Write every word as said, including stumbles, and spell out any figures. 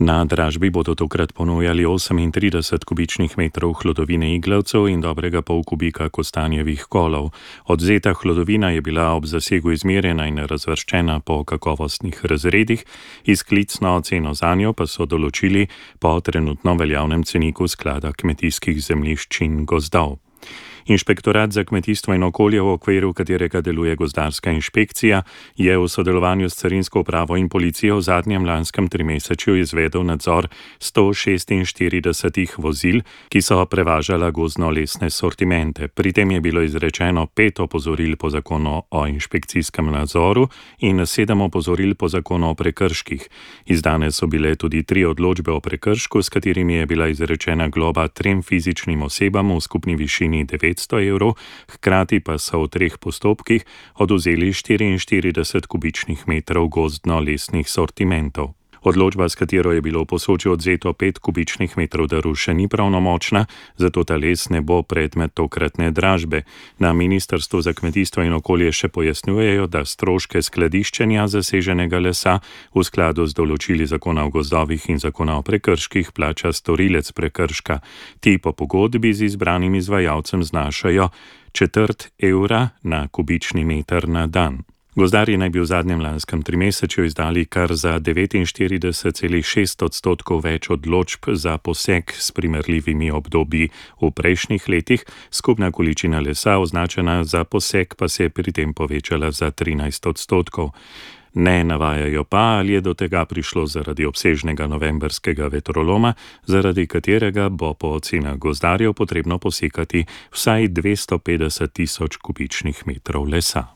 Na dražbi bodo tokrat ponujali osemintrideset kubičnih metrov hlodovine iglavcev in dobrega pol kubika kostanjevih kolov. Odvzeta hlodovina je bila ob zasegu izmerjena in razvrščena po kakovostnih razredih, izklicno ceno zanjo pa so določili po trenutno veljavnem ceniku sklada kmetijskih zemljišč in gozdov. Inšpektorat za kmetijstvo in okolje, v okviru katerega deluje gozdarska inšpekcija, je v sodelovanju s carinsko upravo in policijo v zadnjem lanskem trimesečju izvedel nadzor sto šestinštiridesetih vozil, ki so prevažala gozdno-lesne sortimente. Pri tem je bilo izrečeno pet opozoril po zakonu o inšpekcijskem nadzoru in sedem opozoril po zakonu o prekrških. Izdane so bile tudi tri odločbe o prekršku, s katerimi je bila izrečena globa trem fizičnim osebam v skupni višini devetsto evrov, hkrati pa so v treh postopkih odvzeli štiriinštirideset kubičnih metrov gozdno-lesnih sortimentov. Odločba, s katero je bilo v Posočju odvzeto pet kubičnih metrov daru, še ni pravnomočna, zato ta les ne bo predmet tokratne dražbe. Na Ministrstvu za kmetijstvo in okolje še pojasnjujejo, da stroške skladiščenja zaseženega lesa v skladu z določili zakona o gozdovih in zakona o prekrških plača storilec prekrška. Ti po pogodbi z izbranim izvajalcem znašajo četrt evra na kubični meter na dan. Gozdarji naj bi v zadnjem lanskem trimesečju izdali kar za devetinštirideset celih šest odstotkov več odločb za poseg s primerljivimi obdobji v prejšnjih letih, skupna količina lesa označena za poseg pa se je pri tem povečala za trinajst odstotkov. Ne navajajo pa, ali je do tega prišlo zaradi obsežnega novembrskega vetroloma, zaradi katerega bo po ocenah gozdarjev potrebno posekati vsaj dvesto petdeset tisoč kubičnih metrov lesa.